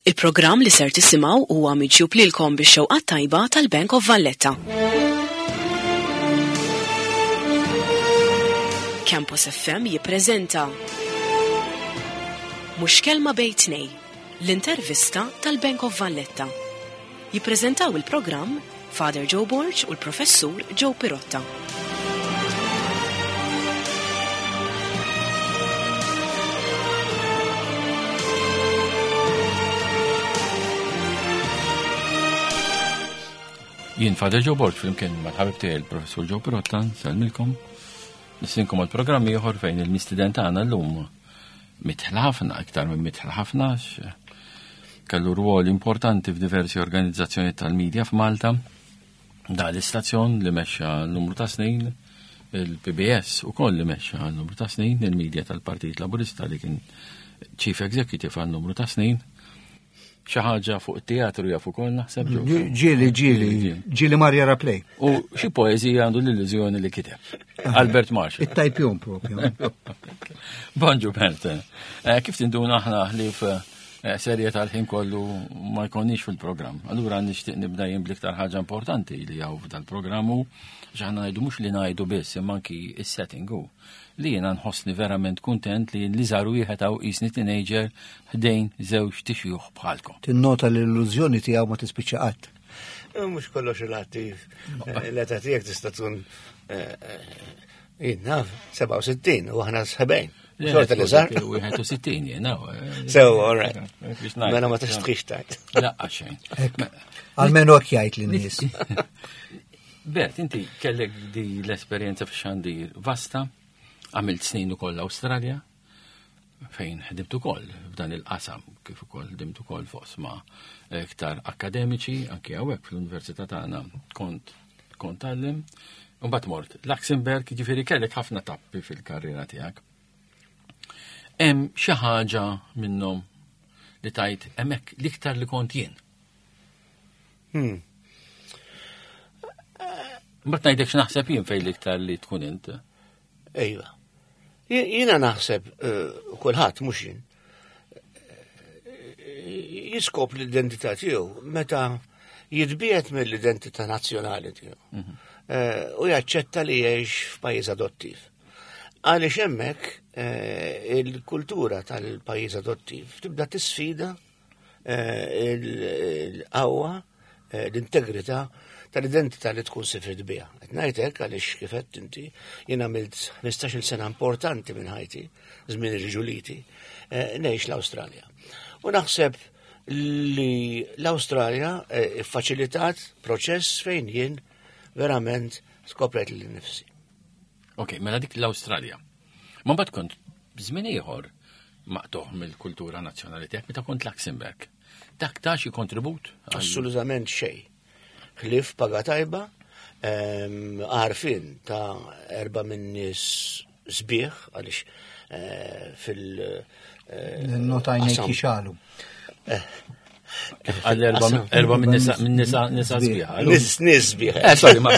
Il-programm li ser tisimgħu huwa miġjub lilkom bix-xewqat tajba tal-Bank of Valletta. Campus FM jippreżenta Mhux kelma bejn tnej, l-intervista tal-Bank of Valletta. Jippreżentaw il-programm Father Joe Borg u l-Professur Joe Pirotta. Jien Father Joe Borg flimkien mal-ħabib tiegħi il-Professur Joe Pirotta, nsellmilkom. Nistinkom għal programm ieħor fejn il-mistiden tagħna llum mitħla ħafna, iktar minn mitħla ħafna, kellu rwol importanti f'diversi organizzazzjoni tal-medja f'Malta, da l-istazzjon li mexxa numru ta' snin, il-PBS u koll li mexxa numru ta' snin, il-medja tal-Partit Laburista li kien Chief Executive għal numru ta' snin, xi ħaġa fuq it-teatru jaf ukoll naħseb. Ġieli, ġieli, ġieli Marja Raplej. U xi poeżija għandu l-illużjoni li kiteb. Albert Marshall. It-tajpjon propju. Bonġu Bert. Eh, kif tinduna aħna ħlief eh, serje tal-ħin kollu ma jkonniex fil-programm. Allura nixtieq nibda jien bl-iktar ħaġa importanti li hawn f'dal-programm hu x'aħna ngħidu mhux li ngħidu biss imma anki is-setting hu li jiena nħossni verament kuntent li li żar wieħed hawn qisni teenager ħdejn żewġ tixjuħ bħalkom. Tinnota li l-illużjoni tiegħu ma tispiċċa qatt. Eh, mhux kollox relattiv. Eh, l-età tiegħek tista' tkun eh, jien naf 67 u aħna 70. Xorta li żar. 61 jien Sew, all right. Mela ma tixtħix tajt. Laqqa xejn. Almenu hekk jgħid lin-nies. Bert, inti kellek di l-esperjenza fix-xandir vasta, għamilt snin ukoll l-Awstralja, fejn ħdimt ukoll f'dan il-qasam, kif ukoll ħdimt ukoll f'oqsma iktar akademiċi, anki hawnhekk fl-università tagħna kont kont tgħallem. Mbagħad mort Luxemburg, ġifieri kellek ħafna tappi fil-karriera tiegħek. Hemm xi ħaġa minnhom li tajt hemmhekk l-iktar li kont jien. Hmm. Mbagħad ngħidlek x'naħseb jien fejn l-iktar li tkun int. Ejwa. Jiena naħseb eh, kulħadd mhux jien. Eh, jiskop l-identità tiegħu meta jitbiet mill-identità nazzjonali tiegħu. Mhm. Eh, u jaċċetta li jgħix f'pajjiż adottiv. Għaliex hemmhekk il-kultura tal-pajjiż adottiv tibda tisfida Eh, il-qawwa, eh, l-integrità tal-identità li tkun sifirt biha. Qed ngħidlek għaliex kif qed inti jien għamilt 15-il sena importanti minn ħajti, żmien ir-riġuliti, eh, ngħix l-Awstralja. U naħseb li l-Awstralja iffaċilitat proċess fejn jien verament skoprejt lil nifsi. Ok, mela dik l-Awstralja. Ma mbagħad kont żmien ieħor maqtuħ mill-kultura nazzjonali tiegħek meta kont Luxemburg. Dak ta' xi kontribut? Assolutament xejn. Ħlief paga tajba, ehm, għarfien ta' erba' minn nies sbieħ għaliex eh, fil- eh, Nota għajnejk jixalu. Eh, Għal erba minn nisa minn nisa nisa sbieħ. Nis nis sbieħ. Sorry, ma.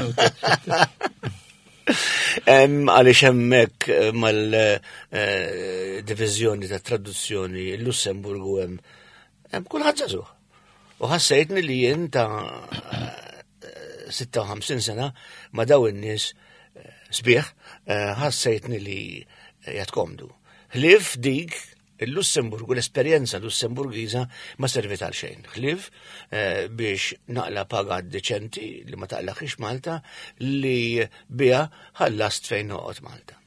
Għaliex hemmhekk eh, mal-diviżjoni eh, ta' traduzzjoni l-Lussemburgu hemm hemm kulħadd żagħżugħ. U ħassejtni li jien ta' 56 eh, sena ma' daw in-nies sbieħ ħassejtni li jatkomdu. Ħlief dik Il-Lussemburgu, l-esperjenza Lussemburgiża ma serviet għal xejn. Ħlief eh, biex naqla paga deċenti li ma taqlaħiex Malta li biha ħallast fejn noqgħod Malta.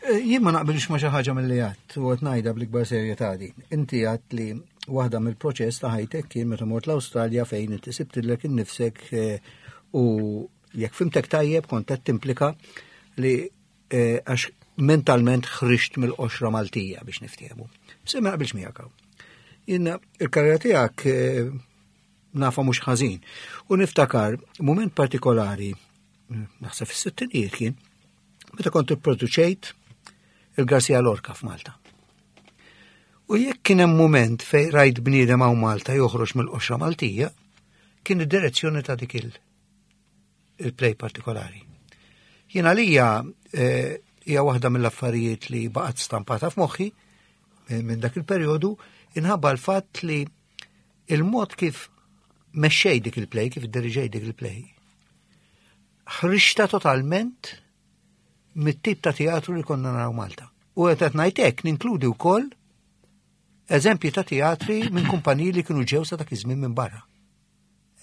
Eh, jien ma naqbilx ma xi ħaġa mill-li għadt u qed ngħidha bl-ikbar serjetà din. Inti għadt li waħda mill-proċess ta' ħajtek kien meta mort l-Awstralja fejn inti sibtilek innifsek eh, u jekk fimtek tajjeb kont qed timplika li Eh, għax mentalment ħriġt mill-qoxra Maltija biex niftehmu. Se ma naqbilx miegħek hawn. Jiena il-karriera tiegħek eh, nafa mhux ħażin. U niftakar mument partikolari, eh, naħseb fis-sittinijiet kien, meta kont ipproduċejt il-Garcia Lorca f'Malta. U jekk kien hemm mument fejn rajt bniedem hawn Malta joħroġ mill-qoxra Maltija, kien id-direzzjoni ta' dik il- il-play partikolari. Jien għalija eh, hija waħda mill-affarijiet li baqgħet stampata f'moħħi eh, minn dak il-perjodu inħabba l-fatt li Il-mod kif mexxej dik il-play, kif idderiġej dik il-play, ħriġta totalment mit-tip ta' teatru li konna naraw Malta. U qed qed ngħid hekk ninkludi wkoll eżempji ta' teatri minn kumpaniji li kienu ġew sa dak iż-żmien minn barra.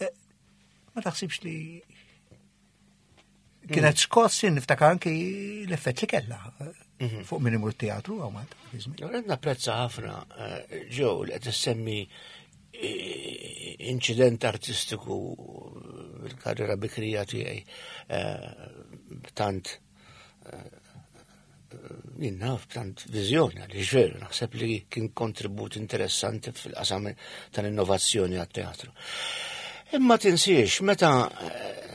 Eh, ma taħsibx li kienet skoss niftakar anki l-effett li kellha eh, mhm. fuq min imur teatru għaw Malta. Qed napprezza ħafna eh, ġew li qed issemmi inċident artistiku bil-karriera bikrija tiegħi tant jien naf tant viżjoni għaliex veru naħseb li kien kontribut interessanti fil-qasam tal-innovazzjoni għat-teatru. Imma tinsiex meta eh,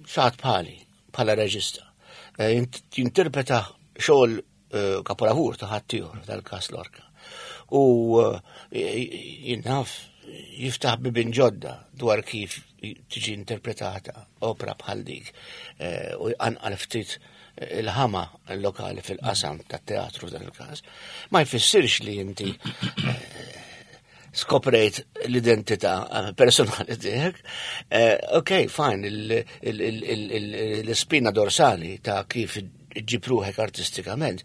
xaħat bħali bħala reġista eh, jinterpreta xogħol eh, kapolavur ta' ħaddieħor tal-każ Lorca. U jien naf jiftaħ bibin ġodda dwar kif tiġi interpretata opra bħal dik u jqanqal ftit il-ħama lokali fil-qasam tat-teatru f'dan il-każ, ma jfissirx li inti eh, skoprejt l-identità eh, personali tiegħek. Eh, ok, fine, l-spina dorsali ta' kif ġib ruħek artistikament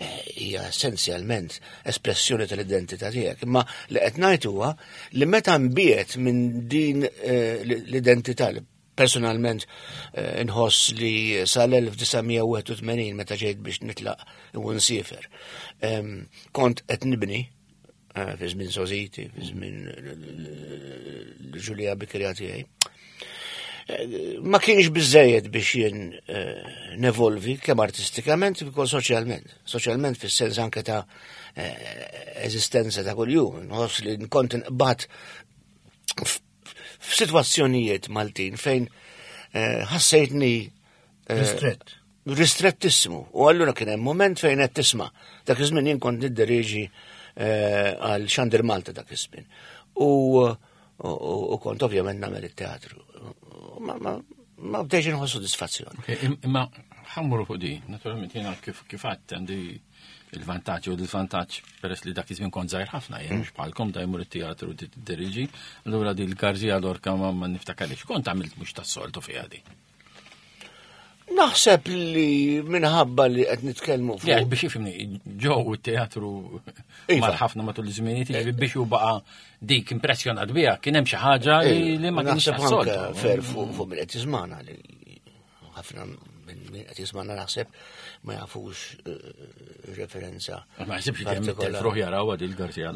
hija essenzjalment espressjoni tal-identità tiegħek. Imma li qed ngħid huwa li meta nbiet minn din l-identità li Personalment eh, nħoss li sal-1981 meta ġejt biex nitlaq u nsiefer. Kont qed nibni eh, fi żmien Soziti, fi żmien l-Ġulija Bikrija tiegħi. Eh, ma kienx biżejjed biex jien nevolvi kemm artistikament kif ukoll soċjalment. Soċjalment fis-sens anke ta' eżistenza ta' kuljum. Nħoss li kont nqbad f'sitwazzjonijiet Maltin fejn eh, ħassejtni eh, ristrett. Ristrettissimu. U allura kien hemm moment fejn qed tisma'. Dak iż-żmien jien kont nidderieġi eh, għal Xandir Malta dak iż-żmien. U, u, kont ovvjament nagħmel it-teatru. Ma, ma, ma bdejx inħoss sodisfazzjon. Imma ħammuru fuq di, naturalment jiena kif kif għandi il-vantaġġ u l-vantaġġ peress li dak iż-żmien kont żgħir ħafna jien mhux bħalkom da jmur it-teatru tiddiriġi, allura di l-Garzija Lorca ma niftakarix. Kont għamilt mhux tas-soltu fiha di. Naħseb li minħabba li qed nitkellmu fuq. Ja, biex jifhimni, ġew it-teatru iva. mar ħafna matul iż-żminijiet, jiġifieri biex hu baqa' dik impressjonat biha, kien hemm xi ħaġa li ma kienx tas-soltu. Fer fuq min qed jiżmana li ħafna minn qed jismana naħseb ma jafux eh, referenza. Ma jaħsibx li hemm it-telfruħ jaraw għad il-Garzija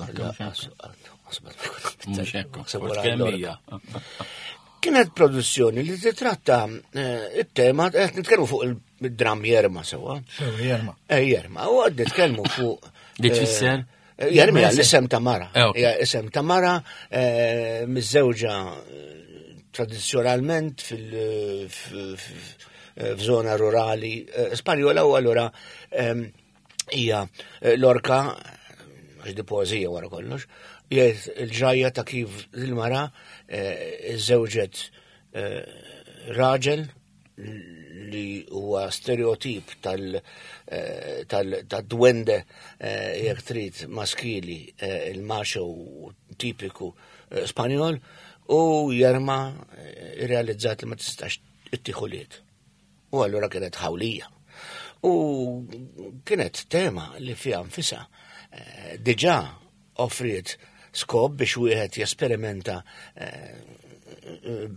Kienet produzzjoni li titratta eh, it-tema, qed nitkellmu fuq il-dram Jerma sewa. Sewa Jerma. Eh, Jerma, u għad nitkellmu fuq. Li tfisser? Jerma l-isem ta' mara. Isem ta' mara miż-żewġa tradizzjonalment fil-żona rurali eh, Spanjola u allura ehm, hija eh, l-orka għax di poezija wara kollox, jgħid il-ġrajja ta' kif il-mara eh, żewġet raġel li huwa stereotip tal-dwende jekk trid maskili il-macho tipiku Spanjol u Jerma eh, irrealizzat li ma tistax ittieħu liet. U allura kienet ħawlija. U kienet tema li fiha nfisha eh, diġà offriet skop biex wieħed jesperimenta eh,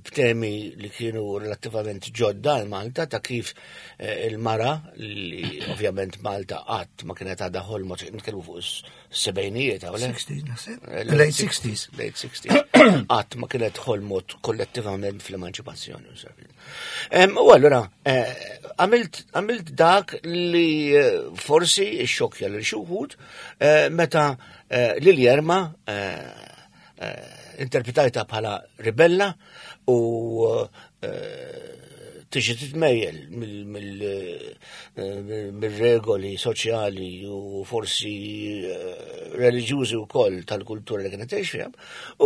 b'temi li kienu relattivament ġodda għal Malta ta' kif il-mara li ovvjament Malta qatt ma kienet għadha ħolma nitkellmu fuq sebejnijiet għaw 60s, naħseb. Eh, late 60s. Late 60s. Qatt ma kienet ħolmot kollettivament fl-emanċipazzjoni. U allura, eh, għamilt dak li eh, forsi xokja l xuħud meta lil Jerma interpretajta bħala ribella u tiġi titmejjel mill-regoli soċjali u forsi eh, reliġjużi wkoll tal-kultura li kienet tgħix fiha.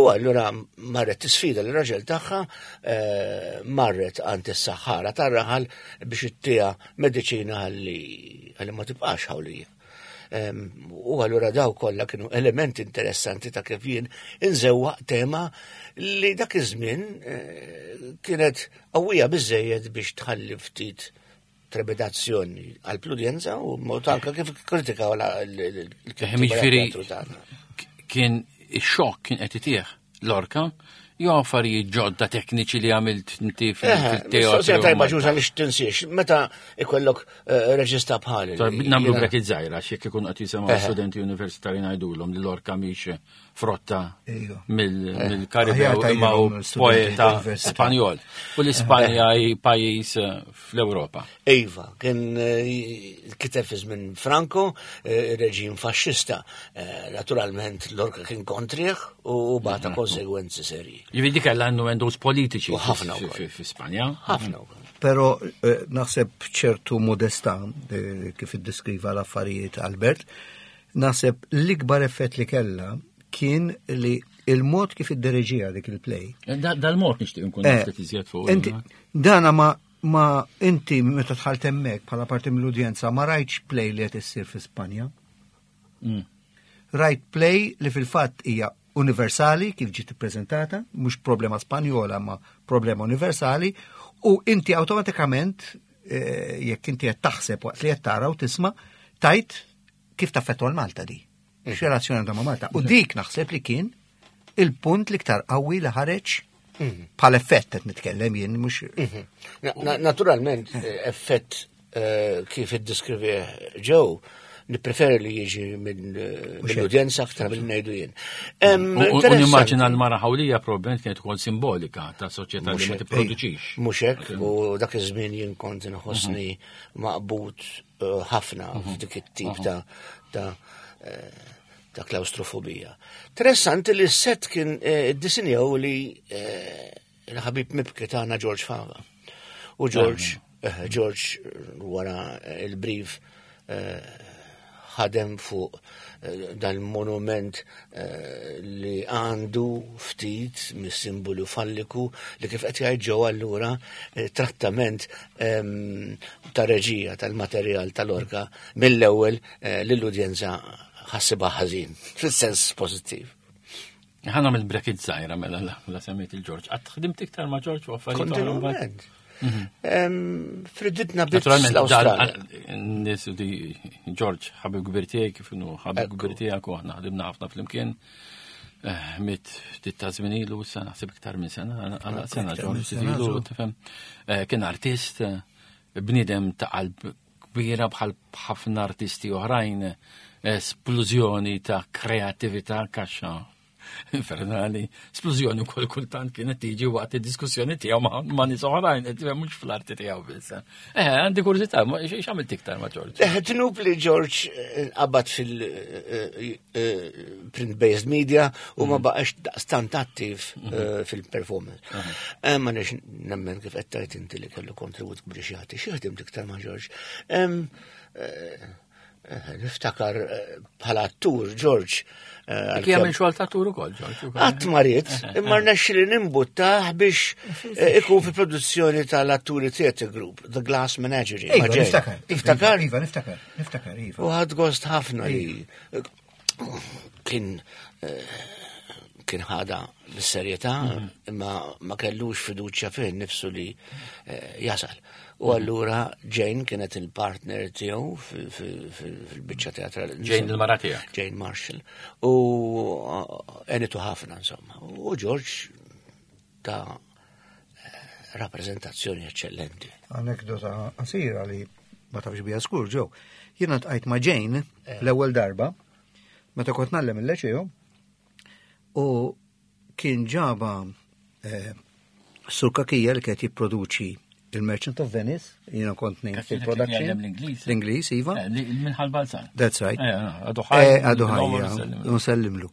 U allura marret tisfida l raġel tagħha eh, marret għand is-saħħara tar-raħal biex ittija mediċina ħalli ma tibqax ħawlija. U allura daw kollha kienu elementi interessanti ta' kif jien inżewwaq tema li dak iż-żmien eh, kienet qawwija biżejjed biex tħalli ftit trepidazzjoni għall-udjenza u mod anke kif kritikaw l-kittiba Kien ix-xokk kien qed itih l-orka jew affarijiet ġodda tekniċi li għamilt inti fil-teatru. Tajba ġuża li tinsiex, meta ikollok eh, reġista bħali. Namlu bracket żgħira x'jekk ikun qed jisimgħu studenti universitari ngħidulhom li l-orka mhix frotta mill-Karibew imma hu poeta Spanjol. U l-Ispanja hi pajjiż eh, fl-Ewropa. Iva, kien eh, kiteb fi żmien Franco, eh, reġim faxxista. Naturalment l-orka kien kontrih u bata mhm. konsegwenzi serji. Jiġifieri dik kellha innuendos politiċi ħafna fi Spanja. Ħafna wkoll. Pero naħseb ċertu modestà kif iddeskriva l-affarijiet Albert, Naħseb l-ikbar effett li kellha kien li il-mod kif iddereġija dik il-play. Eh, dal-mod nixtieq nkun eh, ftit iżjed fuq. Inti dana ma ma inti meta tħalt hemmhekk bħala parti mill-udjenza ma rajtx play li qed issir fi Spanja. Mm. Rajt play li fil-fatt hija universali kif ġiet ippreżentata, mhux problema Spanjola ma problema universali, u inti awtomatikament eh, jekk inti qed taħseb waqt li qed tara u tisma' tajt kif taffettwa l-Malta di? Mhm. X'relazzjoni għandha ma' Malta? U mhm. dik naħseb li kien il-punt l-iktar qawwi li ħareġ mhm. bħal effett qed nitkellem jien mhux. Naturalment eh, effett eh, kif iddeskrivi ġew nippreferi li jiġi eh, mill-udjenza aktar mill ngħidu jien. U nimmaġina l-mara ħawlija probabbilment kienet ukoll simbolika ta' soċjetà li ma tipproduċix. Mhux hekk, u dak iż-żmien jien kont inħossni maqbud ħafna mhm. f'dik it-tip mhm. ta' ta' eh, ta' klaustrofobija. Interessanti li s-set kien eh, disinjaw li eh, il-ħabib mibki tagħna George Fava. U George, George wara il-brief ħadem fuq eh, dal-monument eh, li għandu ftit mis-simbolu falliku li kif qed jgħid ġew allura eh, trattament ehm, ta' reġija tal-materjal tal-orka mill-ewwel lill-udjenza ħassibha ħażin, fis-sens pożittiv. Ħana mill bracket zaħira mela la semmejt il-Ġorġ. Għad ħdimt iktar ma' Ġorġ u affarijiet. Kontinuament. Mhm. Friditna biss l-Awstralja. Nis di Ġorġ ħabib kbir tiegħi kif inhu ħabib kbir tiegħek u aħna ħdimna ħafna flimkien. Eh, mit ftit ta' żmien ilu issa naħseb iktar minn sena, għal sena Ġorġ ilu, tifhem. Eh, kien artist, eh, bniedem ta' qalb kbira bħal ħafna artisti oħrajn, esplużjoni ta' kreattività kaxxa infernali, splużjoni wkoll kultant kienet tiġi waqt id-diskussjoni tiegħu ma' nies oħrajn, qed mhux fl-arti tiegħu biss. Eh, għandi kurżità, x'għamilt iktar ma' George? Eh, tnub li George eh, qabad fil-print-based eh, media u ma mm. baqax daqstant attiv mhm. fil-performance. Mhm. Ma nix nemmen kif qed tajt inti li kellu kontribut kbir xi xi ħdimt iktar ma' George. Eh, niftakar eh, bħala attur George. Eh, Kien jagħmel xogħol ta' attur ukoll George. Qatt marit, imma rnexxi li nimbuttah biex ikun fi produzzjoni tal-atturi Theatre Group, The Glass Menagerie. Iva, niftakar. Niftakar? Iva, niftakar, niftakar, iva. U ħad gost ħafna li kien kien ħada bis-serjetà mhm. imma ma kellux fiduċja fih nifsu li jasal. U mhm. allura Jane kienet il-partner tiegħu fil-biċċa teatrali. Jane il-mara tiegħek. Jane Marshall. U għenitu ħafna insomma. U George ta' rappreżentazzjoni eccellenti. Anekdota qasira li ma tafx bija skur ġew. Jiena tqajt ma' Jane eh. l-ewwel darba meta kont nallem il-leċew u kien ġaba eh, Sur Kakija li kienet jipproduċi il-Merchant of Venice, jiena kont ngħin fil-production. L-Ingliż, iva. Eh, Minħal Balzan. That's right. Għadu ħaj. Għadu ħaj, nsellimlu.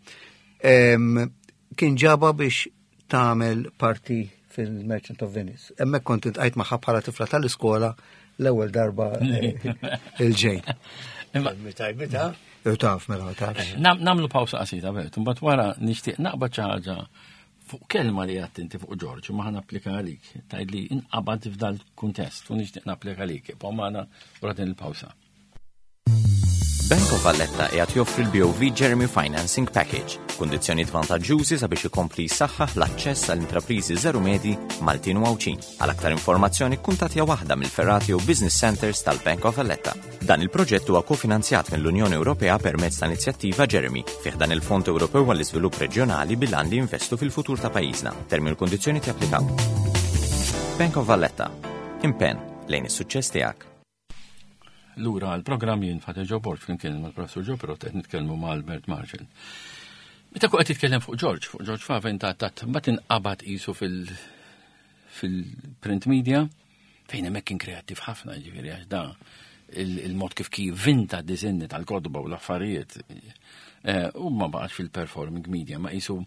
Kien ġaba biex tagħmel parti fil-Merchant of Venice. Hemmhekk kont intqajt magħha bħala tifla tal-iskola l-ewwel darba eh, il-ġejn. Meta Taf, mela, taf. Eh, namlu pawsa qasira, Bert, mbagħad wara nixtieq naqbad xi ħaġa fuq kelma li għadt inti fuq Ġorġ, ma ħan applika għalik, tgħid li inqabad f'dal kuntest u nixtieq napplika għalik, ibqgħu magħna wara din il-pawsa. Bank of Valletta qiegħed joffri l-BOV Jeremy Financing Package, kundizzjonijiet vantaġġjużi sabiex ikompli jsaħħaħ l-aċċess għal intrapriżi żeru medji Maltin u Għawdxin. Għal aktar informazzjoni kkuntattja waħda mill-ferrati jew business centers tal-Bank of Valletta. Dan il-proġett huwa kofinanzjat mill-Unjoni Ewropea permezz ta' inizjattiva Jeremy fih dan il-Fond Ewropew għall-Iżvilupp Reġjonali bil-għan li jinvestu fil-futur ta' pajjiżna. Termini u kundizzjoni japplikaw. Bank of Valletta. Impenn lejn is-suċċess tiegħek. Lura għal-programm jien Father Joe Borg flimkien mal-Professur Joe Pirot qed nitkellmu ma' Albert Marshall. Meta qed titkellem fuq George, fuq George Faven ta' tat mbagħad inqabad qisu fil fil-print media fejn hemmhekk kien kreattiv ħafna ġifieri għax da il-mod kif kif vinta disinni tal-kodba u l-affarijiet eh, u ma baqax fil-performing media ma qisu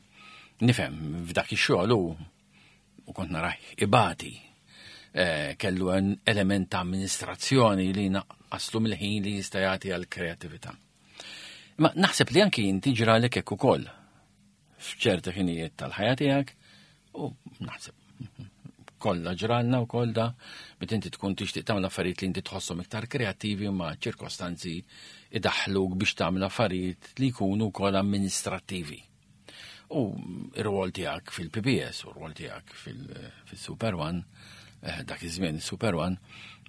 nifhem f'dak ix-xogħol u u kont narah ibati eh, kellu element ta' amministrazzjoni li naqqaslu mill-ħin li jista' jagħti għal kreatività. Ma naħseb li anki inti ġralek hekk ukoll f'ċerti ħinijiet tal-ħajja tiegħek u naħseb kollha ġralna wkoll da meta inti tkun tixtieq tagħmel affarijiet li inti tħosshom iktar kreattivi ma ċirkostanzi idaħħluk biex tagħmel affarijiet li jkunu wkoll amministrattivi. U r-rwol tiegħek fil-PBS u r-rwol tiegħek fil-Super One, eh, dak iż-żmien Super One,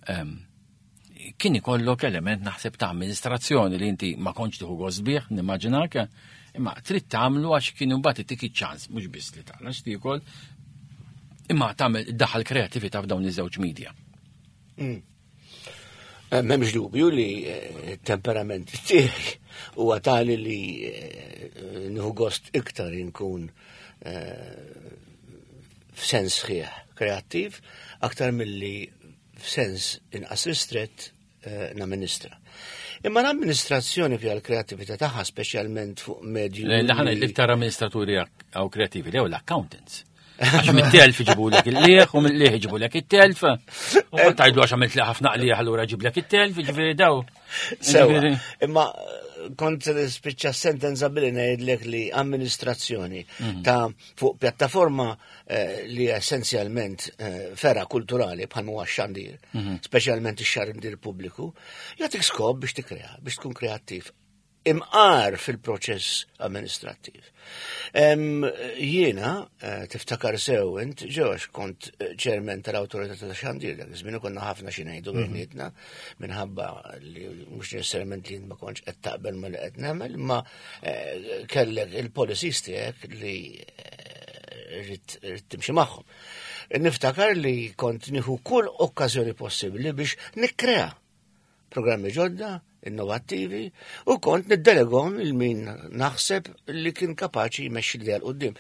ehm, kien ikollok element naħseb ta' amministrazzjoni li inti ma kontx tieħu gost bih, nimmaġinak, imma trid tagħmlu għax kien imbagħad ittik iċ-ċans mhux biss li tagħla x'tiekol, imma tagħmel iddaħħal kreatività f'dawn iż-żewġ media. M'hemmx dubju li eh, temperament tiegħi huwa tali li eh, nieħu gost iktar inkun f'sens sħiħ kreattiv aktar milli f'sens inqas ristrett namministra. Imma l-amministrazzjoni fiha l-kreattività tagħha speċjalment fuq medju. L-ħana l-iktar amministraturi għaw kreattivi, lew l-accountants. Għax mit-telf iġibulek il-lieħ u mill-lieħ iġibulek it-telf. U ma tajdu għax għamilt li ħafna qlieħ allura ġiblek it-telf, ġifieri daw. Sewa, imma eh, kont spiċċa sentenza billi ngħidlek li amministrazzjoni mhm. ta' fuq pjattaforma eh, li essenzjalment eh, fera kulturali bħal huwa xandir, mhm. speċjalment ix-xandir pubbliku, jagħtik skop biex tikkrea, biex tkun kreattiv imqar fil-proċess amministrattiv. Jiena, eh, tiftakar sew int, ġewx kont eh, ċermen tal-Awtorità ta' Xandir, dak iż-żmien konna ħafna xi ngħidu mhm. bejnietna minħabba li mhux necessarjament li ma kontx qed taqbel ma li qed nagħmel, imma eh, kellek il-policies tiegħek li rrid timxi magħhom. Niftakar li kont nieħu kull okkażjoni possibbli biex nikkrea programmi ġodda, innovattivi, u kont niddelegom il min naħseb li kien kapaċi jmexxi l qudiem.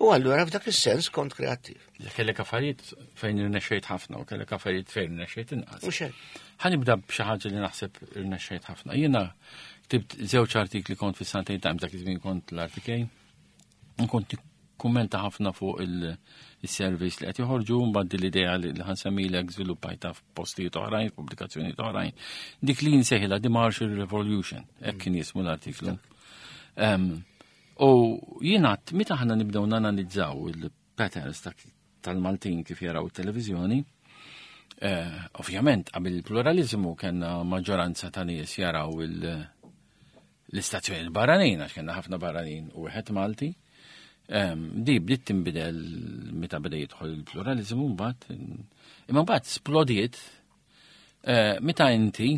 U allura f'dak is-sens kont kreattiv. Kellek affarijiet fejn irnexxejt ħafna u kellek affarijiet fejn irnexxejt inqas. Mhux hekk. Ħanibda b'xi ħaġa li naħseb irnexxejt ħafna. Jiena ktibt żewġ artikli kont fis-Sunday Times dak iż-żmien kont l-RTK. Kont kummenta ħafna fuq il-surveys li qed joħorġu mbagħad din l-idea li ħansemmilek żviluppajta f'postijiet oħrajn, f'pubblikazzjonijiet oħrajn. Dik li nsejħilha The Marshall Revolution, hekk kien jismu l-artiklu. U jiena meta aħna nibdew nanalizzaw il-patterns tal-Maltin kif jaraw it-televiżjoni, eh, ovvjament qabel il-pluralizmu kellna maġġoranza ta' nies jaraw il- l-istazzjoni barranin, għax kellna ħafna barranin u wieħed Malti. Di bdiet tinbidel meta beda jidħol il-pluralizmu mbagħad, imma mbagħad splodiet eh, meta inti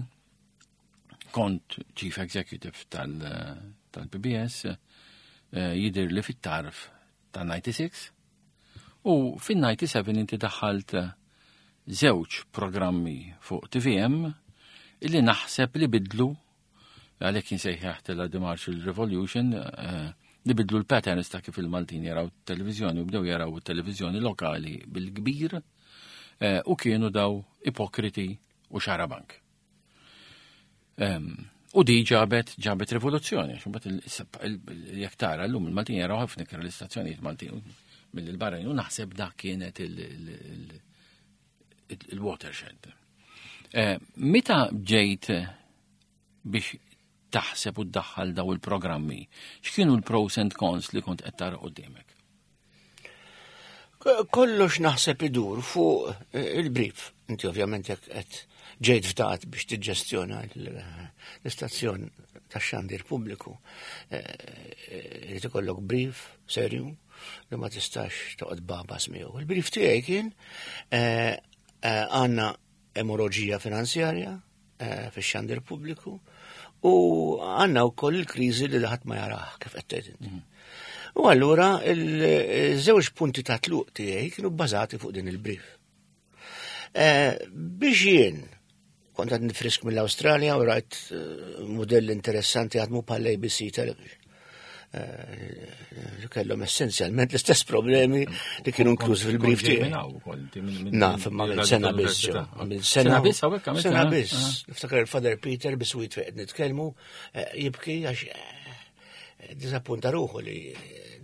kont Chief Executive tal-PBS eh, jidir li fit-tarf ta' 96 u fin-97 inti daħħalt żewġ programmi fuq TVM illi naħseb li bidlu għalhekk insejħaħtilha The Marshall Revolution, eh, li bidlu l-patterns ta' kif il-Maltin jaraw televizjoni u bdew jaraw televizjoni lokali bil-kbir eh, u kienu daw ipokriti u xarabank. Ehm, u di ġabet ġabet rivoluzzjoni, għax mbagħad jekk tara llum il-Maltin jaraw ħafna iktar l-istazzjonijiet Maltin mill-barranin u naħseb dak kienet il-watershed. Eh, meta ġejt biex taħseb u ddaħħal daw il-programmi, x'kienu l-pros and cons li kont qed tara quddiemek? Kollox naħseb idur fuq eh, il-brief. Inti ovvjament jekk qed ġejt fdat biex tiġġestjona l-istazzjon tax-xandir pubbliku, irid ikollok brief serju li ma tistax toqgħod babas miegħu. Il-brief tiegħi kien għandna emoroġija finanzjarja fix-xandir pubbliku u għandna wkoll il-kriżi li ħadd ma jarah kif qed tgħid inti. U allura il-żewġ punti ta' tluq tiegħi kienu bbażati fuq din il-brief. Biex jien kont għad nifrisk mill-Awstralja u rajt modell interessanti għadmu bħal ABC Television. Li kellhom essenzjalment l-istess problemi li kienu inkluż fil-brief tiegħi. Naf, imma għamilt sena biss. Għamilt sena biss hawnhekk għamilt sena biss. Niftakar il-Father Peter biswit fejn qed nitkellmu jibki għax disappunta ruħu li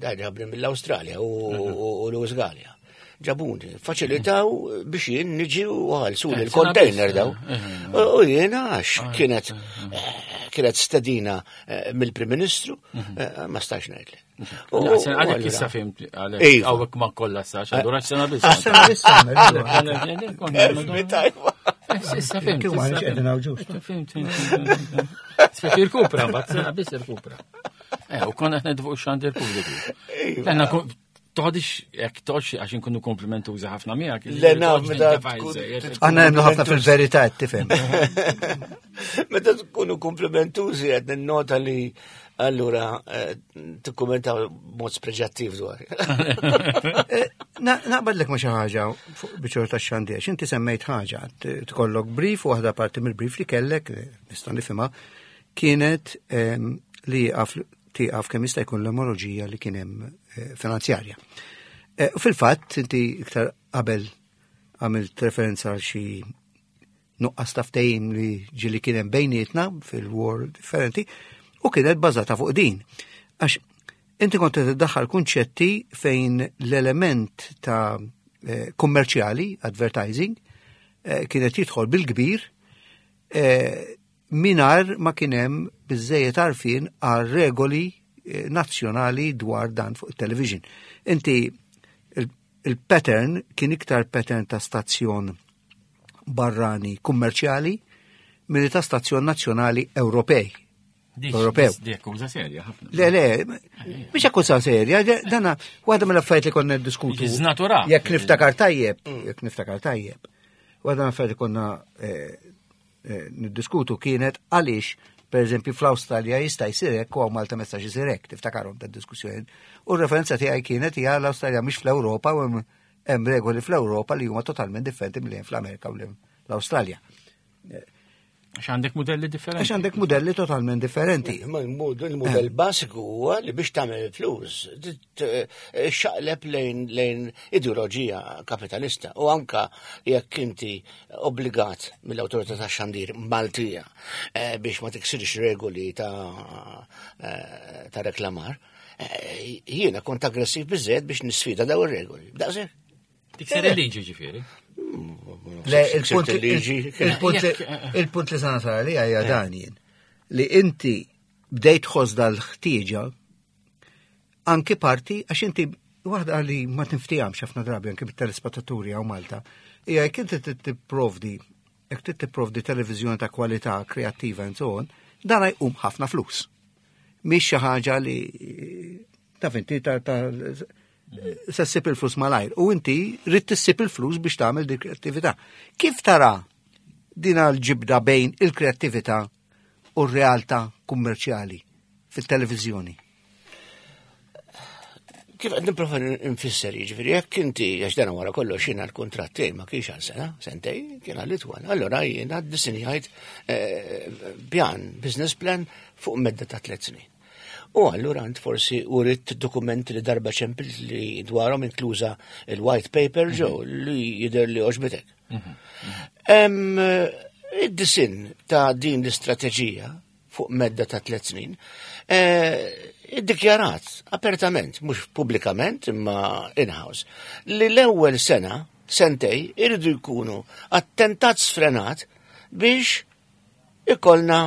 dan ġabni mill-Awstralja u Louis Galea. Ġabuni, faċilitaw biex jien niġi u ħalsu l-container daw. U jiena għax kienet stedina mill-Prim Ministru, ma stax ngħidli. Għalek issa fimt, għalek għawek ma kollha sax, allura sena biss. Sena biss Issa fimt. Kif ma qegħdin hawn ġust. Fimt, fimt. Speċi rkupra, mbagħad sena biss irkupra. U konna qed fuq xandir pubbliku. Toħodix jekk toħodx għax inkunu komplimentużi ħafna miegħek. Le naf meta Aħna nemmnu ħafna fil-verità qed tifhem. Meta tkunu komplimentużi qed ninnota li allura tikkummenta b'mod spreġattiv dwar. Naqbadlek ma' xi ħaġa fuq biċċor tax-xandir, inti semmejt ħaġa, tkollok brief u waħda parti mill-brief li kellek, nista' nifhimha, kienet li tieqaf kemm jista' jkun l-emoroġija li kien hemm finanzjarja. U fil-fatt inti iktar qabel għamilt referenza għal xi nuqqas ta' ftehim li ġieli kien hemm bejnietna fil-war differenti u kienet bażata fuq din. Għax inti kont qed iddaħħal kunċetti fejn l-element ta' kummerċjali, advertising, kienet jidħol bil-kbir mingħajr ma kien hemm biżżejjed għarfien għal regoli nazzjonali dwar dan fuq il-television. Inti il-pattern kien iktar pattern ta' stazzjon barrani kummerċjali milli ta' stazzjon nazzjonali Ewropej. Ewropew. Di akkuża serja ħafna. Le, le, mhix akkuża serja, dana waħda mill-affarijiet li konna niddiskutu. Jiżnatura. Jekk niftakar tajjeb, jekk niftakar tajjeb. Waħda mill-affarijiet li konna niddiskutu kienet għaliex, per eżempju, fl-Awstralja jista' jsir hekk u Malta ma jistax isir hekk, tiftakarhom ta' diskussjoni. U r-referenza tiegħi kienet hija l-Awstralja mhix fl-Ewropa u hemm regoli fl-Ewropa li huma totalment differenti milli hemm fl-Amerika u l-Awstralja. Għax għandek modelli differenti. Għax għandek modelli totalment differenti. Ma il-modell basiku huwa li biex tagħmel flus, xaqleb lejn ideoloġija kapitalista u anka jekk inti obbligat mill-awtorità tax-xandir Maltija biex ma tiksirx regoli ta' reklamar, jiena kont aggressiv biżżejjed biex nisfida daw ir-regoli. Daqshekk. Tikser il-liġi ġifieri. Le, il-punt li sana sara li għajja dan jien, li inti bdejt tħoss dal-ħtieġa anki parti, għax inti waħda li ma tinftijamx ħafna drabi anki bit-telespettaturi hawn Malta, hija jekk inti tipprovdi, jekk trid tipprovdi televiżjoni ta' kwalità kreattiva and so on, dan jqum ħafna flus. Mhix xi ħaġa li taf inti ta' se ssib il-flus malajr u inti rrid tissib il-flus biex tagħmel dik kreattività. Kif tara din l-ġibda bejn il-kreattività u r-realtà kummerċjali fit-televiżjoni? Kif qed nipprova nfisser, jiġifieri jekk inti għax dan wara kollox jiena l-kuntratt tiegħi ma kienx għal sena, sentej, kien għal itwal. Allura jiena ddisinjajt pjan, business plan fuq medda ta' 3 snin. U allura int forsi urid dokumenti li darba ċempilt li dwarhom inkluża il-white paper ġew li jidher li għoġbitek. Id-disin ta' din l-istrateġija fuq medda ta' 3 snin, iddikjarat apertament, mhux pubblikament imma in-house, li l-ewwel sena, sentej, iridu jkunu attentat sfrenat biex ikollna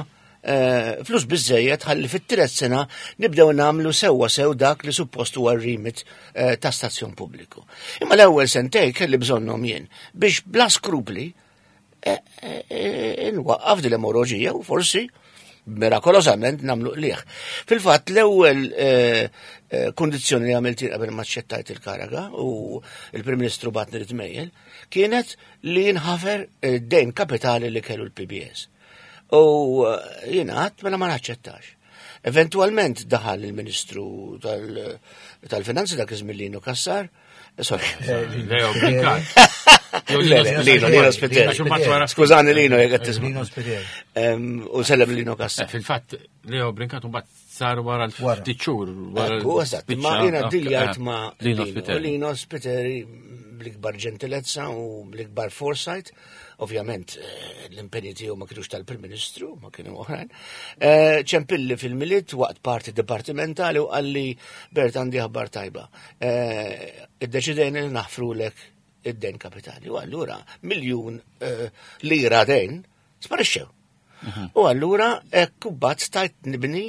flus biżejjed ħalli fit-tielet sena nibdew nagħmlu sewwa sew dak li suppost huwa r-remit ta' stazzjon pubbliku. Imma l-ewwel sentej kelli bżonnhom jien biex bla skrupli Nwaqqaf din l-emoroġija u forsi mirakolosament namlu qliħ. Fil-fatt l-ewwel kondizzjoni li għamilt qabel ma ċċettajt il-karaga u il-Prim Ministru batni li kienet li jinħafer dejn kapitali li kellu l-PBS. U jiena għadt mela ma naċċettax. Eventualment daħal il-Ministru tal-Finanzi dak iż-żmien Lino Cassar, sorry. Leo Brincat. Lino, Lino Spiteri. Skużani Lino, jek qed tisma'. Lino Spiteri. U sellem Lino Cassar. Fil-fatt, Leo Brincat mbagħad sar wara l-ftit xhur. Ekku, eżatt, ma jiena diljajt ma' Lino Spiteri. Lino Spiteri bl-ikbar ġentilezza u bl-ikbar foresight. Ovvjament, l-impenji tiegħu ma kienux tal-Prim Ministru, ma kienu oħrajn. Ċempilli fil-Milied waqt parti dipartimentali u qalli Bert għandi aħbar tajba. Iddeċidejna li naħfrulek id-dejn kapitali. U allura 1,000,000 lira dejn sparixxew. U allura hekk mbagħad stajt nibni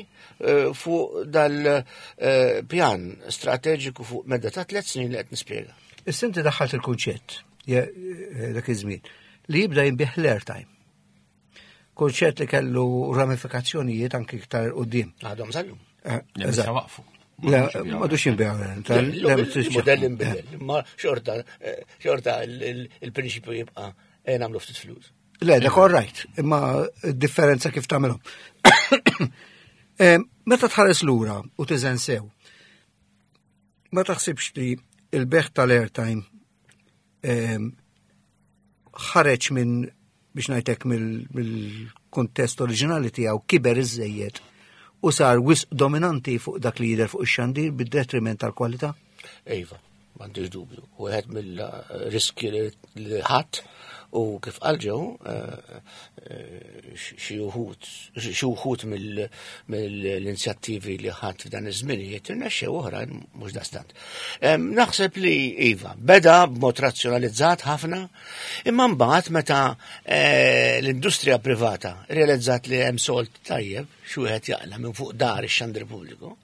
fuq dal-pjan strateġiku fuq medda ta' 3 snin li qed nispjega. Issa inti daħħalt il-kunċett dak iż-żmien li jibda jinbih l-airtime. Kunċett li kellu ramifikazzjonijiet anki iktar quddiem. Għadhom sallum. Le, issa waqfu. Le, ma dux jinbih, Le, le, il-modell inbidel, ma xorta il-prinċipju jibqa' nagħmlu ftit flus. Le, dak all right, imma d-differenza kif tagħmilhom. Meta tħares lura u tiżen sew, ma taħsibx li il-beħ tal-airtime ħareġ minn, biex ngħidlek, mill-kuntest oriġinali tiegħu kiber iżejjed u sar wisq dominanti fuq dak li jidher fuq ix-xandir bid-detriment tal-kwalità? Iva, m'għandix dubju. Wieħed mill-riski li ħadd u kif qal ġew xi wħud mill-inizjattivi li ħadd f'dan iż-żminijiet irnexxew oħrajn mhux dastant. Naħseb li iva, beda b'mod razzjonalizzat ħafna, imma mbagħad meta l-industrija privata realizzat li hemm sold tajjeb xi wieħed jaqla' minn fuq dar ix-xandir pubbliku,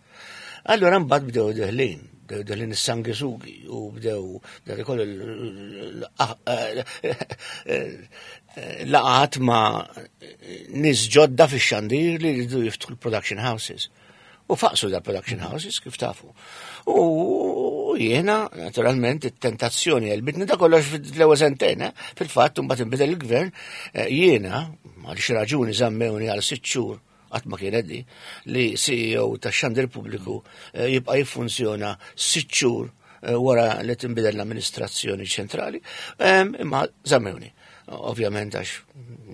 allura mbagħad bdew deħlin. Bdew deħlin is-sangisugi u bdew dak ikollu laqat ma' nies ġodda fix-xandir li jridu jiftħu l-production houses. U faqsu da production houses kif tafu. U jiena, naturalment, it-tentazzjoni għelbitni da kollox fil-ewwel sentejn, fil-fatt mbagħad inbidel il-gvern, jiena, għal xi raġuni żammewni għal 6 xhur, qatt ma kien di, li CEO tax-xandir pubbliku jibqa' jiffunzjona 6 xhur wara li tinbidel l-amministrazzjoni ċentrali, imma żammewni. Ovvjament għax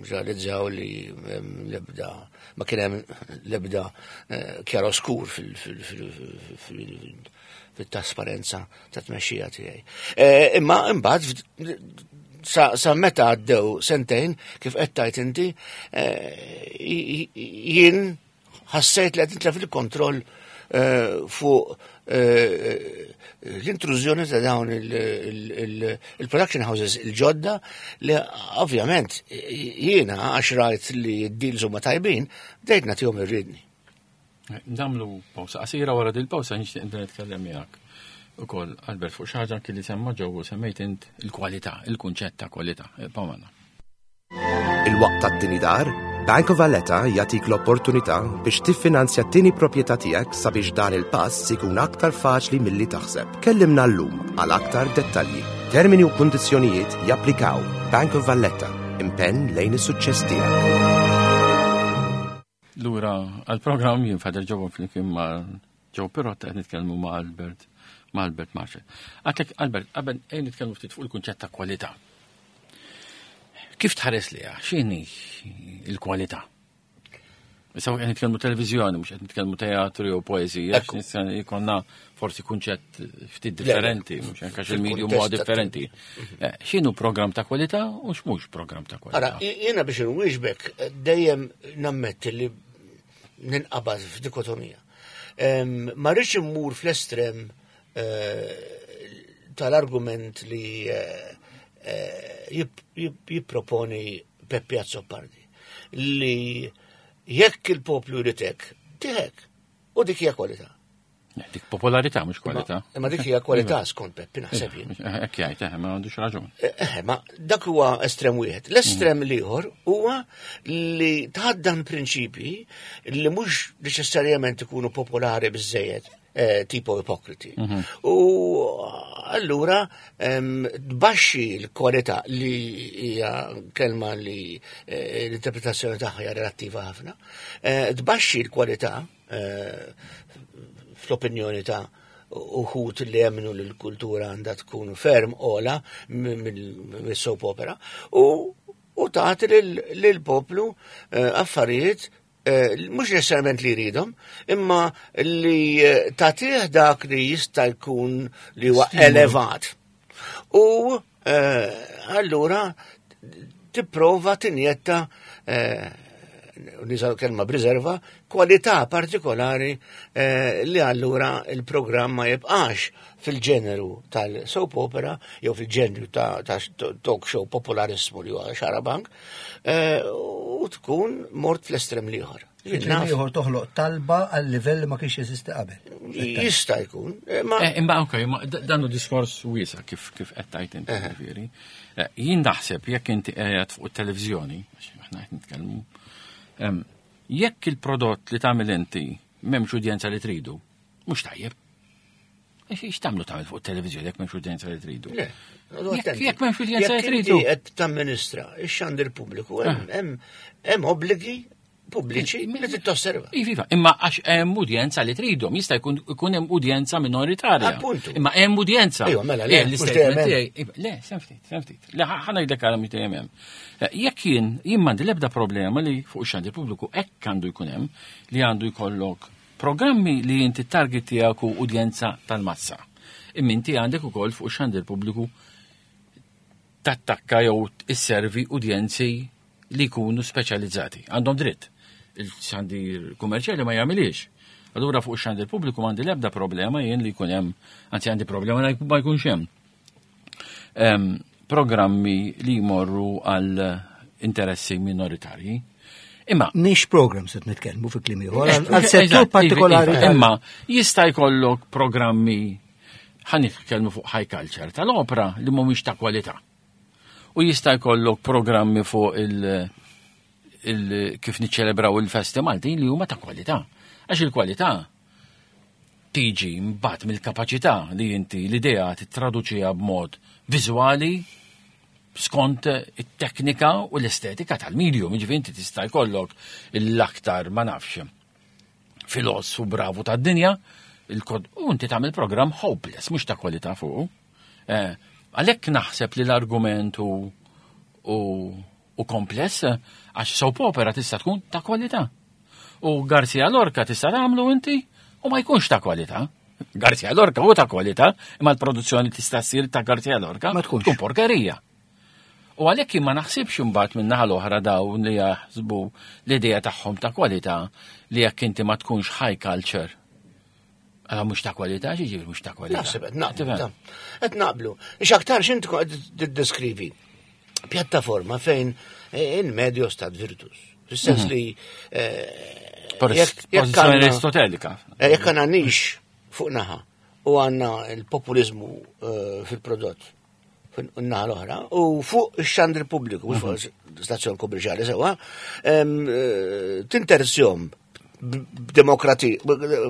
realizzaw li l-ebda, ma kien hemm l-ebda chiaroscur fil-trasparenza ta' tmexxija tiegħi. Imma imbagħad sa meta għaddew sentejn, kif qed tgħid inti, jien ħassejt li qed nitlef il-kontroll fuq l-intrużjoni ta' dawn il-production houses il-ġodda li ovvjament jiena għax rajt li d-deals huma tajbin, bdejt nagħtihom ir-riedni. Nagħmlu pawsa qasira, wara dil pawsa nixtieq nitkellem miegħek ukoll Albert fuq xi ħaġa anki li semma ġew u semmejt int il-kwalità, il-kunċett ta' kwalità. Pamana. Il-waqt tat-tieni dar, Bank of Valletta jagħtik l-opportunità biex tiffinanzja t-tieni proprjetà tiegħek sabiex dan il-pass ikun aktar faċli milli taħseb. Kellimna llum għal aktar dettalji. Termini u kundizzjonijiet japplikaw. Bank of Valletta, impenn lejn is-suċċess tiegħek. Lura għall-programm jien Father Joe flimkien ma' Joe Pirotta qed nitkellmu ma' Albert, ma' Albert Marshall. Għatek Albert, qabel ejn nitkellmu ftit fuq il-kunċett ta' kwalità. Kif tħares liha? X'inhi l-kwalità? Issa qed nitkellmu televiżjoni, mhux qed nitkellmu teatru jew poeżija, għax nista' jkollna forsi kunċett ftit differenti, mhux hekk għax il-medium huwa differenti. X'inhu programm ta' kwalità u x'mhux programm ta' kwalità? Ara, jiena biex inwieġbek dejjem nammetti li ninqabad f'dikotomija. Ma rridx immur fl-estrem tal-argument li jipproponi Peppi Azzopardi li jekk il-poplu jrid hekk, tiħek, u dik hija kwalità. Dik popolarità mhux kwalità. Imma dik hija kwalità skont Peppi naħseb jien. Hekk jgħid, eh, ma għandux raġun. Eh, ma dak huwa estrem wieħed. L-estrem mm. l-ieħor huwa li tħaddan prinċipji li mhux neċessarjament ikunu popolari biżejjed eh, tipo ipokriti. Mhm. U allura tbaxxi l-kwalità li hija kelma li eh, l-interpretazzjoni tagħha hija relattiva ħafna, tbaxxi l-kwalità Eh, fl-opinjoni ta' uħut li jemnu li l-kultura għandha tkun ferm ola mill-soap opera u u tagħti lill-poplu eh, affarijiet eh, mhux neċessarjament li jridhom, imma li tagħtih dak li jista' jkun li huwa elevat. U allura tipprova tinjetta niżaw kelma b'riserva, kwalità partikolari eh, li allura il-programm ma jibqax fil-ġeneru tal-soap opera jew fil-ġeneru ta', ta talk show popolarismu li huwa xarabank eh, u tkun mort fl-estrem liħor. Ieħor toħloq talba għal livell li ma kienx jeżisti qabel. Jista' jkun. Eh, ma eh, imma ok, dan hu diskors wiesa kif kif qed tgħid inti eh. ġifieri. Jien naħseb jekk inti qiegħed fuq it-televiżjoni, għax aħna qed nitkellmu, jekk il-prodott li tagħmel inti m'hemmx udjenza li tridu, mhux tajjeb. Ix tagħmlu tagħmel fuq it-televiżjoni jekk m'hemmx udjenza li tridu. Jekk m'hemmx udjenza li tridu. Qed tamministra ix-xandir pubbliku hemm obbligi pubbliċi li trid tosserva. Iva, iva, imma għax hemm udjenza li tridhom, jista' jkun ikun hemm udjenza minoritarja. Appuntu. Imma hemm udjenza. Ejwa, mela, le, eh, l-istatement tiegħi. Iva, le, sem ftit, sem ftit. Le, ħa ngħidlek għala mhux dejjem hemm. Eh, jekk jien jien m'għandi l-ebda problema li fuq ix-xandir pubbliku hekk għandu jkun hemm li għandu jkollok programmi li inti target tiegħek u udjenza tal-massa. Imma inti għandek ukoll fuq ix-xandir pubbliku tattakka jew isservi udjenzi li jkunu speċjalizzati. Għandhom dritt. Il-xandir kummerċjali ma jagħmilix. Allura fuq ix-xandir pubbliku m'għandi l-ebda problema jien li jkun hemm, anzi għandi problema li ma jkunx hemm. Programmi li jmorru għal interessi minoritarji. Imma Nix programs qed nitkellmu fi kliem ieħor għal settur partikolari. Iva, imma jista' jkollok programmi ħa nitkellmu fuq high culture tal-opra li mhumiex ta' kwalità. U jista' jkollok programmi fuq il, il kif niċċelebraw il-festi Maltin li huma ta' kwalità. Għax il-kwalità tiġi mbagħad mill-kapaċità li inti l-idea tittraduċiha b'mod viżwali skont it-teknika u l-estetika tal-medium, jiġifieri inti tista' jkollok l-aktar ma nafx filosfu bravu tad-dinja, il-kod u inti tagħmel programm hopeless, mhux ta' kwalità fuq. Eh, għalhekk naħseb li l-argument u, u, u kompless għax soap opera tista' tkun ta' kwalità. U Garcia Lorca tista' tagħmlu inti u ma jkunx ta' kwalità. Garcia Lorca u ta' kwalità, imma l-produzzjoni tista' ssir ta' Garcia Lorca ma tkunx tkun porkerija. U għalhekk jien ma naħsibx imbagħad min-naħa l-oħra dawn li jaħsbu l-idea tagħhom ta' kwalità li jekk inti ma tkunx high culture. Għala mhux ta' kwalità, xiġifieri mhux ta' kwalità. Naħseb qed naqblu. Qed naqblu. X'aktar x'int tiddeskrivi pjattaforma fejn in medio stat virtus. Fis-sens mhm. li eh, jekk Aristotelika. Eh, jekk għandna nix fuq naħa u għandna l-populizmu eh, fil-prodott naħa l-oħra, u fuq ix-xandri pubbliku, mhux fuq mhm. stazzjon kummerċjali sewwa, eh, tinterzjom b'demokrati,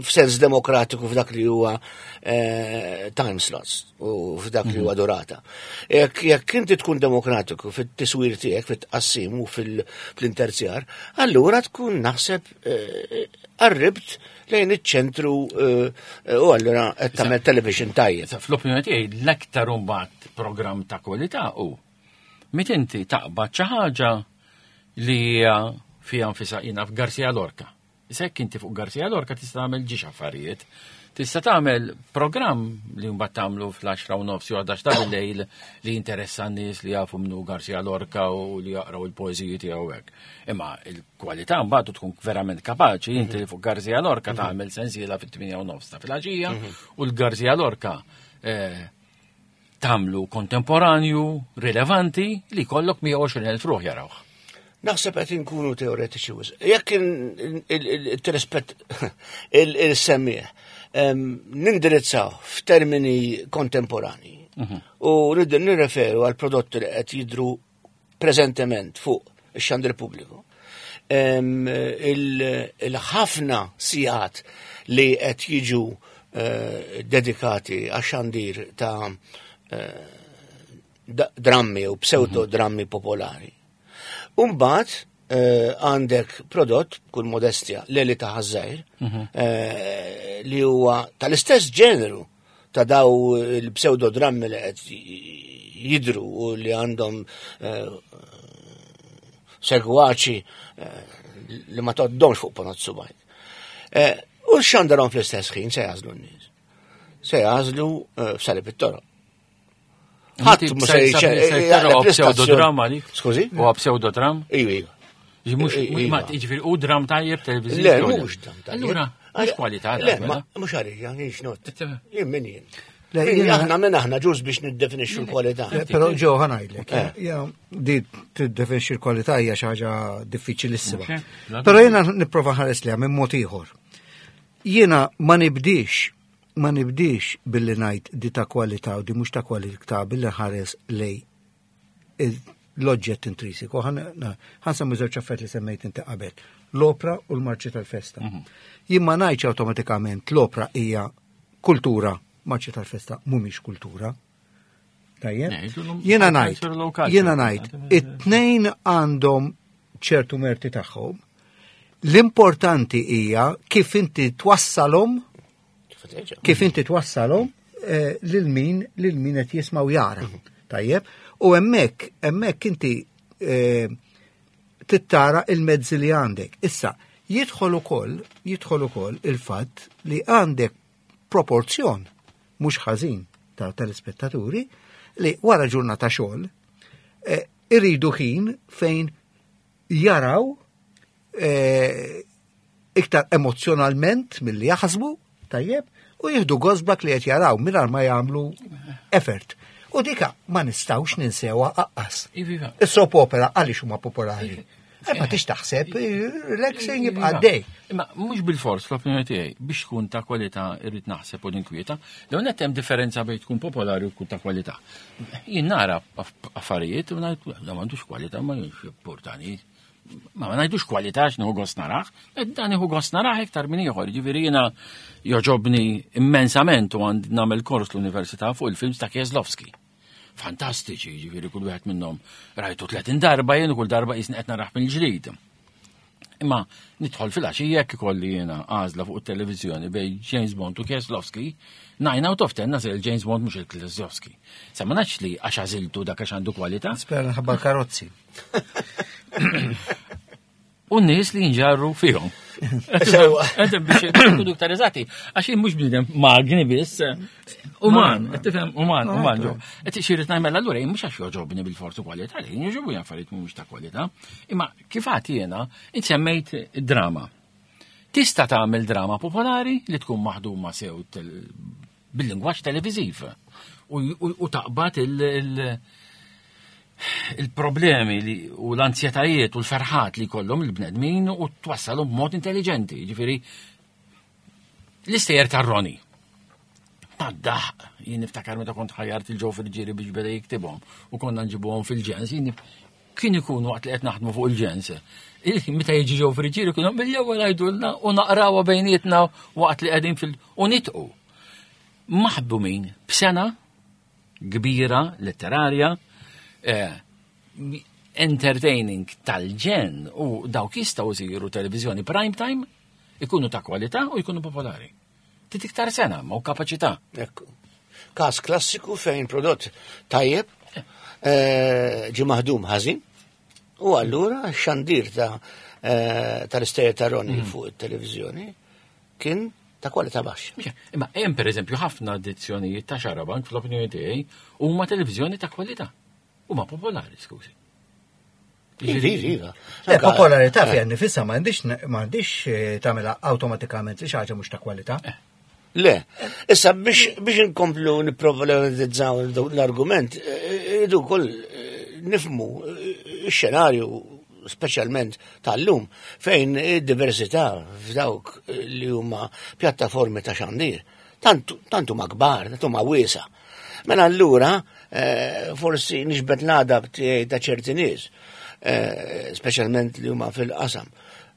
f'sens demokratiku f'dak li huwa eh, time slots u f'dak li huwa mhm. durata. Jekk inti tkun demokratiku fit-tiswir tiegħek, fit-tqassim u fil-interzjar, allura tkun naħseb eh, qarribt lejn iċ-ċentru eh, u allura qed tagħmel television tajjeb. Fl-opinjoni tiegħi l-aktar imbagħad programm ta' kwalità hu meta inti taqbad xi ħaġa li hija fiha nfisha jiena f'Garcia Lorca. Issa jekk inti fuq Garcia Lorca tista' tagħmel ġiex affarijiet. Tista' tagħmel programm li mbagħad tagħmlu fl-10 u nofs jew 11 ta' bil-lejl li jinteressa n-nies li jafu minnu Garcia Lorca u li jaqraw il-poeżiji tiegħu hekk. Imma il-kwalità mbagħad tkun verament kapaċi inti mhm. fuq Garcia Lorca mhm. tagħmel sensiela fit-8 u nofs ta' filgħaxija mhm. u l-Garcia Lorca eh, tagħmlu kontemporanju, rilevanti li jkollok 120,000 ruħ jarawh. Naħseb qed inkunu teoretiċi wisq. Jekk il-rispett il-semmiegħ nindirizzaw f'termini kontemporani u nirreferu għal prodotti li qed jidru preżentement fuq ix-xandir pubbliku. Il-ħafna sigħat li qed jiġu dedikati għax-xandir ta' drammi u pseudo drammi popolari. Umbat għandek prodott, kull modestja, Leli ta' Ħaż-Żgħir, li huwa tal-istess ġeneru ta' daw il-pseudodrammi li qed jidru u li għandhom segwaċi li ma tgħoddhomx fuq ponot subajk. U xandarhom fl-istess ħin se jagħżlu n-nies. Se jagħżlu f'salib it-toroq. Ħadd mhux se jaqleb pseudodram għalik. Skużi? Huwa pseudodram? Iva, iva. Mhux ma jiġifieri hu dram tajjeb televiżiv. Le, mhux dram tajjeb. Allura, mhux kwalità. Le, mela. mhux għalija, jien xnott. Jien min jien. Aħna minn aħna ġuż biex niddefinixxu l-kwalità. Però ġew ħa ngħidlek, di tiddefinixxi l-kwalità hija xi ħaġa diffiċilissima. Però jiena nipprova ħares liha minn mod ieħor. Jiena ma nibdix ma nibdix billi ngħid di ta' kwalità u di mhux ta' kwalità billi nħares lej l-oġġett intrisiku. Ħa nsemmi żewġ affarijiet li semmejt inti qabel. L-opra u l-marċi tal-festa. Jien ma ngħidx awtomatikament l-opra hija kultura, marċi tal-festa mhumiex kultura. Tajjeb? Jiena ngħid, jiena ngħid, it-tnejn għandhom ċertu merti tagħhom. L-importanti hija kif inti twassalhom kif inti twassalhom eh, lil min lil min qed jisma' u jara. Tajjeb? U hemmhekk hemmhekk inti eh, tittara il-mezzi li għandek. Issa, jidħol ukoll jidħol ukoll il-fatt li għandek proporzjon mhux ħażin ta' telespettaturi li wara ġurnata xogħol eh, iridu ħin fejn jaraw eh, iktar emozjonalment milli jaħsbu, tajjeb, u jieħdu gost b'dak li qed jaraw mingħajr ma jagħmlu effort. U dika ma nistgħux ninsewha aqqas. Iva. Is-soap opera għaliex huma popolari? Eh, ma tix taħseb, relaxing jibqa' għaddej. Imma mhux bil-fors l-opinjoni tiegħi biex tkun ta' kwalità irrid naħseb u ninkwieta. L-ewwel nett hemm differenza bejn tkun popolari u tkun ta' kwalità. Jien nara affarijiet u ngħid da m'għandux kwalità ma jimpurtani. Ma ma ngħidux kwalità għax nieħu gost narah, eh, dan nieħu gost narah iktar minn ieħor. Ġifieri jiena joġobni immensament u għandi nagħmel kors l-università fuq il-films ta' Kieslowski. Fantastiċi, ġifieri kull wieħed minnhom rajtu 30 darba jien u kull darba qisni qed narah mill-ġdid. Imma nidħol fil-għaxija jekk ikolli jiena għażla fuq it-televiżjoni bejn James Bond u Kieslowski, 9 out of 10 nagħżel James Bond mhux il-Kieslowski. Sa ma nafx li għax għażiltu dak għax għandu kwalità. Spera nħabba karozzi. U n-nies li jinġarru fihom. Qed biex ikunu iktar eżatti, għax jien mhux bniedem magni biss, uman, qed tifhem uman, uman ġo. Qed xi rrid nagħmel allura jien mhux għax jogħġobni bil-forzu kwalità, jien jogħġobni affarijiet mhumiex ta' kwalità, imma kif għad jiena semmejt drama. Tista' tagħmel drama popolari li tkun maħduma sew bil-lingwaġġ televiżiv u taqbad il-problemi u l-anzjetajiet u l-ferħat li jkollhom il-bnedmin u twassalhom b'mod intelligenti. Ġifieri l-istejjer tar-Roni. Tad-daħq, jien niftakar meta kont ħajjart il-Joe Friggieri biex beda jiktibhom u konna nġibuhom fil-ġens, jien kien ikun waqt li qed naħdmu fuq il-ġens. Meta jiġi Joe Friggieri kienu mill-ewwel għajdulna u naqrawha bejnietna waqt li qegħdin fil- u nitqu. Maħdumin b'sena kbira letterarja, entertaining tal-ġen u dawk jistgħu jsiru televiżjoni prime time, ikunu ta' kwalità u jkunu popolari. Trid iktar sena ma' u kapaċità. Ekku. Każ klassiku fejn prodott tajjeb, ġi maħdum ħażin, u allura xandir tal-istejjer ta' Roni fuq it-televiżjoni kien ta' kwalità baxxa. Imma hemm pereżempju ħafna edizzjonijiet ta' Xarabank fl-opinjoni tiegħi huma televiżjoni ta' kwalità. Huma popolari, skużi. Iva, iva. Le, popolarità fiha nifisha m'għandix tagħmilha awtomatikament li xi ħaġa mhux ta' kwalità. Le, issa biex inkomplu nipproblematizzaw l-argument, irridu wkoll nifhmu x-xenarju speċjalment tal-lum, fejn id-diversità f'dawk li huma pjattaformi ta' xandir, tant huma kbar, tant huma wiesa. Mela allura eh, forsi nixbet l-għadab tiegħi ta' ċerti nies, eh, speċjalment li huma fil-qasam,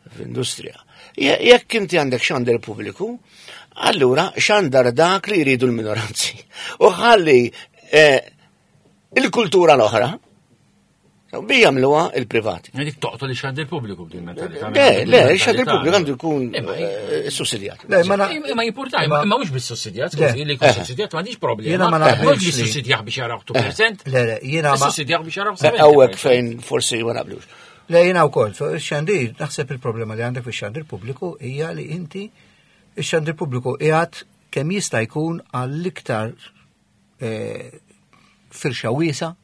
fl-industrija. Jekk inti għandek xandir pubbliku, allura xandar dak li jridu l-minoranzi. U ħalli eh, il-kultura l-oħra, bi jagħmluha il-privati. Dik toqtol ix-xandir pubbliku b'din mentalità. Le, le, ix-xandir pubbliku għandu jkun eh, sussidjat. Le, ma na- Imma jimporta, imma mhux bis-sussidjat, scusi, li jkun sussidjat m'għandix problema. Jiena ma Mhux naqbilx li- bis-sussidjat biex jaraw 2%. Le, le, jiena ma. Sussidjat biex jaraw 70%. Hawnhekk fejn forsi ma naqblux. Le, jiena wkoll, fuq ix-xandir, naħseb il-problema li għandek fix-xandir pubbliku hija li inti ix-xandir pubbliku qiegħed kemm jista' jkun għall-iktar eh, firxa wiesa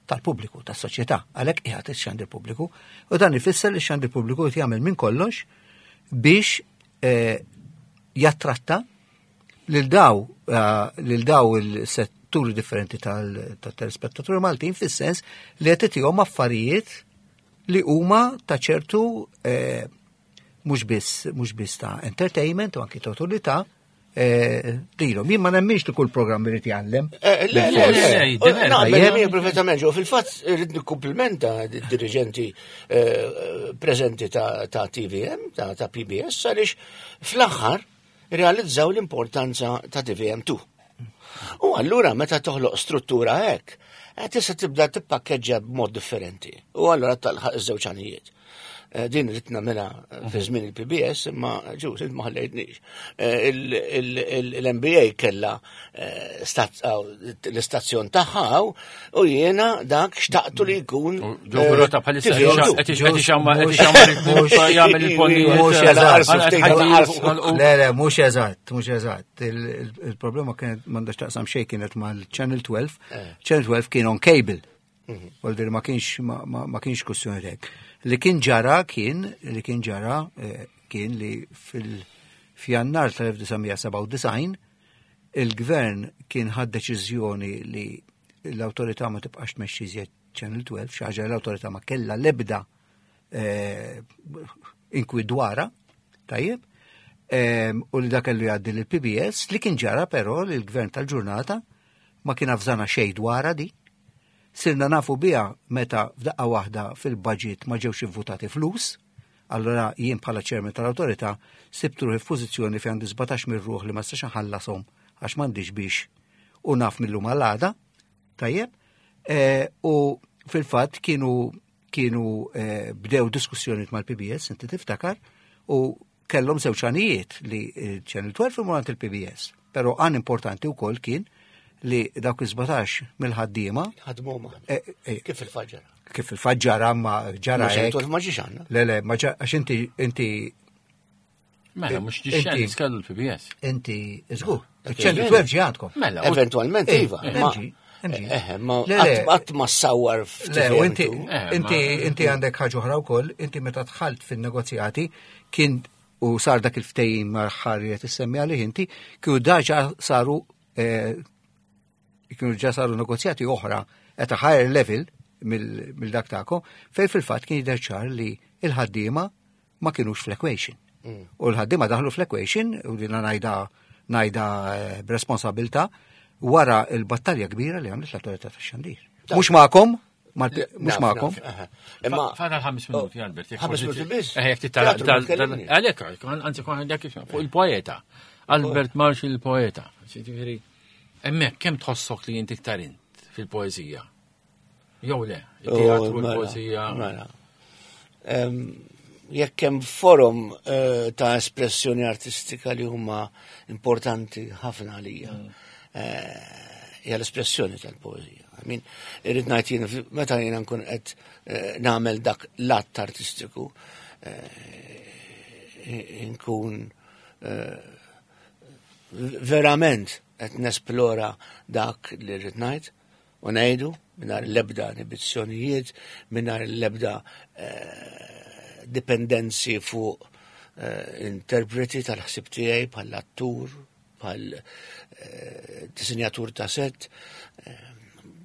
tal-pubbliku, tas-soċjetà, għalhekk qiegħed ix-xandir pubbliku. U dan ifisser li x-xandir pubbliku qed jagħmel minn kollox biex eh, jattratta lil daw eh, lil daw il-setturi differenti tal-telespettaturi Maltin fis-sens li qed itihom affarijiet li huma ta' ċertu eh, mhux biss mhux biss ta' entertainment u anki ta' utilità eh, lilhom. Jien ma nemminx li kull programm irid jgħallem. Eh, Le, le, Le, le, le, le, Naqbel le. miegħek perfettament, ġo, fil-fatt irrid nikkumplimenta d-dirigenti eh, preżenti ta' ta' TVM, ta' ta' PBS, għaliex fl-aħħar realizzaw l-importanza ta' TVM2. U allura meta toħloq struttura hekk, eh, tista' tibda tippakkeġġja b'mod differenti. U allura talħaq iż-żewġ għanijiet. Eh, Din rrid nagħmilha fi żmien il-PBS, imma ġus int ma ħallejtnix. Eh, Il-MBA kella eh, aw, l-istazzjon tagħha hawn, u jiena dak xtaqtu li jkun. Ġo Rota bħalissa TVM2. qed ixammar qed ixammar jagħmel il-ponijiet. Mhux eżatt. eżatt. Le, le, mhux eżatt, mhux eżatt. Il-problema kienet m'għandax taqsam xejn kienet mal-Channel 12. Channel 12 kien on cable. Voldir ma kienx ma- ma ma kienx kwestjoni hekk. Li kien ġara kien li kien ġara eh, kien li fil f'Jannar tal-1997 il-gvern kien ħad deċiżjoni li l-awtorità ma tibqax tmexxi iżjed Channel 12, xi ħaġa li l-awtorità ma kellha l-ebda eh, inkwit dwarha, tajjeb, u li dak kellu jgħaddi lill PBS li kien ġara però li l-gvern tal-ġurnata ma kien avżana xejn dwarha di. Sirna nafu biha meta f'daqqa waħda fil-budget ma ġewx ivvutati flus, allora jien bħala chairman tal-awtorità sibt ruħi f'pożizzjoni fejn għandi 17 mir ruħ li ma nistax nħallasom għax m'għandix biex u naf mill-lum għal-għada, tajjeb, eh, u fil-fatt kienu kienu eh, bdew diskussjonijiet mal-PBS, inti tiftakar, u kellhom żewġ għanijiet li eh, Channel 12 imur għand il-PBS. Però għan importanti wkoll kien li dawk iż-17 mill-ħaddiema Ħadmu maħna. eh, eh, Kif il-faġġara? kif il-fatt ġara ma ġara Ma hekk. 12 ma ġiex għandna. Le, le, ma ġara, għax inti, inti, Mela, mhux Inti- ġixxen kellu l-PBS. inti, żgur, il-Channel 12 ġi għandkom. Mela, Eventualment, Eh, iva. ma- MG, MG. Eh, ma Le, le. qatt ma sawar Le, u inti, f'TVM2. Eh, inti, ma- inti għandek ħaġa oħra wkoll, inti meta dħalt fin-negozjati kien u sar dak il-ftehim ma' ħarri qed issemmi għalih inti, kienu daġa saru eh, kienu ġa saru negozjati oħra at a higher level mill mill dak tagħkom, fejn fil-fatt kien jidher ċar li il-ħaddiema ma kienux fl-equation. U l-ħaddiema daħlu fl-equation u dina ngħidha ngħidha eh, b'responsabilta wara il-battalja kbira li għamlet l-autorità tax-xandir. Mhux magħkom, mhux Naf, magħkom. naf, aha. Imma Fadal ħames minuti, Albert. jekk Ħames forsi- minuti biss? Eh, jekk titala- Teatru, tal- tkellimni. tal- Għalek, anzi, kon għandek kif- fuq il-poeta. Albert Marx il-poeta. Ġifieri, hemmhekk kemm tħossok li inti iktar int fil-poeżija? Jew le, il-teatru, Oh, mela, il-poeżija. Mela. Em, Jekk hemm forum eh, ta' espressjoni artistika li huma importanti ħafna għalija, eh, hija l-espressjoni tal-poeżija. I mean, irrid ngħid jien meta jiena nkun qed eh, nagħmel dak l-att artistiku, eh, nkun eh, verament qed nesplora dak li rrid ngħid u ngħidu mingħajr l-ebda inibizzjonijiet, mingħajr l-ebda eh, dipendenzi fuq eh, interpreti tal-ħsib tiegħi bħal attur, bħal eh, disinjatur ta' set, eh,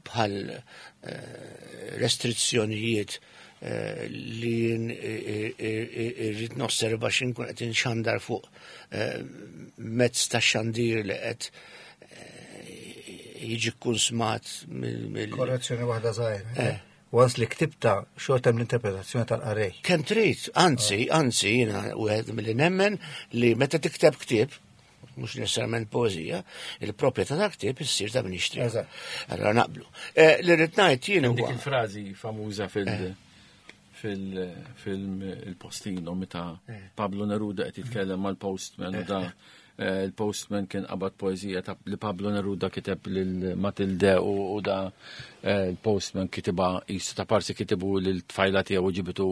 bħal eh, restrizzjonijiet li rrid nosserva x'inkun qed inxandar fuq mezz ta' xandir li qed jiġi kkunsmat mill. Korrezzjoni waħda żgħira. Once li ktibta xorta hemm l-interpretazzjoni tal-qarrej. Kemm trid, anzi, anzi, jiena wieħed milli nemmen li meta tikteb ktieb, mhux necessarjament poeżija, il-proprjetà ta' ktieb issir ta' min jixtri. Allora naqblu. Li rrid ngħid jien huwa. Dik il-frażi famuża fil- fil-film Il-Postino meta Pablo Neruda qed jitkellem mal-postman u da il-postman kien qabad poeżija ta' li Pablo Neruda kiteb lil Matilde u da il-postman kitibha qisu ta' parsi kitibu lil tfajla tiegħu u ġibitu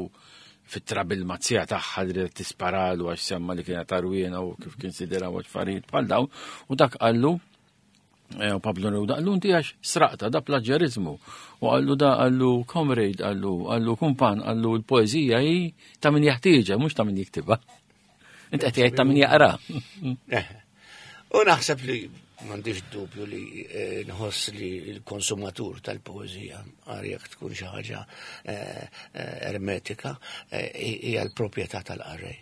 fit-trabil mazzija tagħha li ried tisparalu għax semma li kienet għarwiena u kif kien sidira u affarijiet bħal dawn u dak qallu u Pablo Neruda qallu inti għax sraqta da plaġġerizmu u qallu da qallu comrade qallu qallu kumpan qallu l-poeżija hi ta' min jaħtieġha mhux ta' min jiktibha. Inti qed jgħid ta' min jaqra. U naħseb li m'għandix dubju li nħoss li l-konsumatur tal-poeżija għar jekk tkun xi ħaġa ermetika hija l-proprjetà tal-qarrej.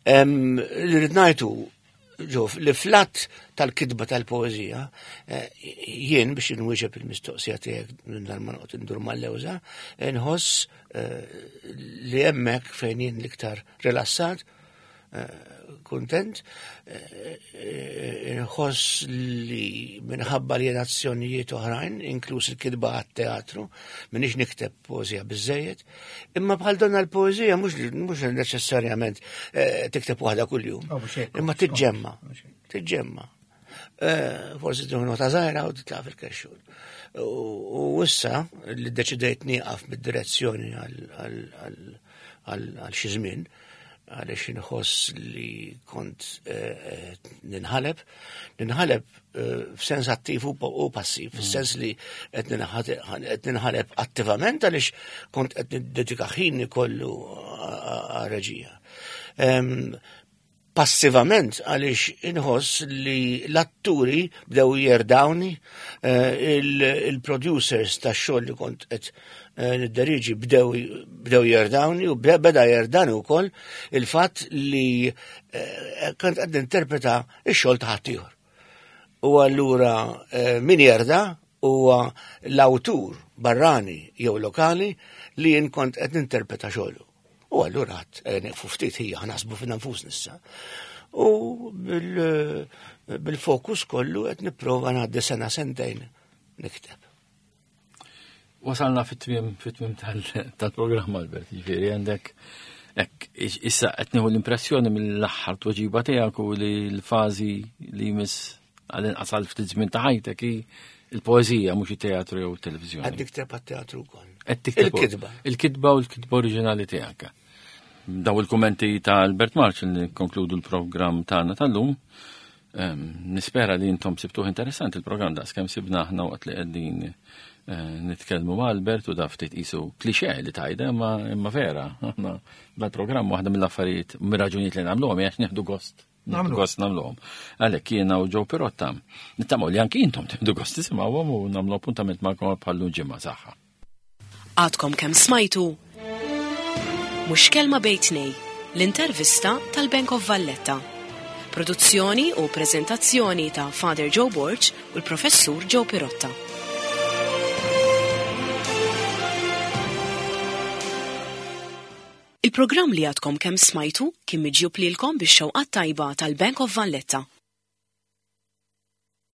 Li rrid ngħidu ġof li flat tal-kitba tal-poeżija jien biex inwieġeb il-mistoqsija tiegħek minn dar ma noqgħod indur mal-lewża, nħoss li hemmhekk fejn jien l-iktar rilassat, kuntent, nħoss li minħabba li jien azzjonijiet oħrajn, inkluż il-kitba għat-teatru, minix nikteb poeżija biżejjed, imma bħal donna l-poeżija mhux neċessarjament tikteb waħda kuljum, Oh, mhux hekk, imma mhux tiġġemma, mhux hekk. tiġġemma. Forsi tieħu nota żgħira u titlaq fil-kexxun. U issa li deċidejt nieqaf mid-direzzjoni għal xi żmien, għaliex inħoss li kont ninħaleb, ninħaleb f'sens attiv u passiv, f'sens li qed ninħaleb attivament għaliex kont qed niddedika ħini kollu għar-reġija. Passivament għaliex inħoss li l-atturi bdew jerdawni, il-producers tax-xogħol li kont qed nidderiġi bdew jerdawni u beda jerdani wkoll il-fatt li kont qed ninterpreta x-xogħol ta' ħaddieħor. U allura min jerda huwa l-awtur barrani jew lokali li jien kont qed ninterpreta xogħlu. U allura għad nieqfu ftit ħija ħnaħsbu fina nfusna issa. U bil-fokus kollu qed nipprova ngħaddi sena sentejn nikteb. Wasalna fit-tmiem tal-programm, Albert, jiġifieri għandek hekk, issa qed nieħu l-impressjoni mill-aħħar tweġiba tiegħek u li l-fażi li jmiss għall-inqas għal ftit żmien ta' ħajtek hi il-poeżija mhux it-teatru jew it-televiżjoni. Qed nikteb għat-teatru wkoll. Qed tikteb Il-kitba. Il-kitba u l-kitba oriġinali tiegħek. Daw il-kummenti ta' Albert March li konkludu l-programm tagħna tal-lum. Nispera li intom sibtuh interessanti il-programm daqs kemm sibna aħna waqt li qegħdin nitkellmu ma' Albert u da ftit qisu klixè li tajda imma vera. Aħna dal-programm waħda mill-affarijiet, mir-raġunijiet li nagħmluhom hija għax nieħdu gost. Nieħdu gost nagħmluhom. Għalhekk jiena u Joe Pirotta nittamaw li anki intom tieħdu gost tisimgħuhom u nagħmlu appuntament magħkom bħal ġimgħa saħħa. Għadkom kemm smajtu Mhux Kelma Bejn Tnejn, l-intervista tal-Bank of Valletta. Produzzjoni u prezentazzjoni ta' Father Joe Borg u l-Professur Joe Pirotta. Il-programm li għadkom kemm smajtu kien miġjub lilkom bix-xewqat tajba tal-Bank of Valletta.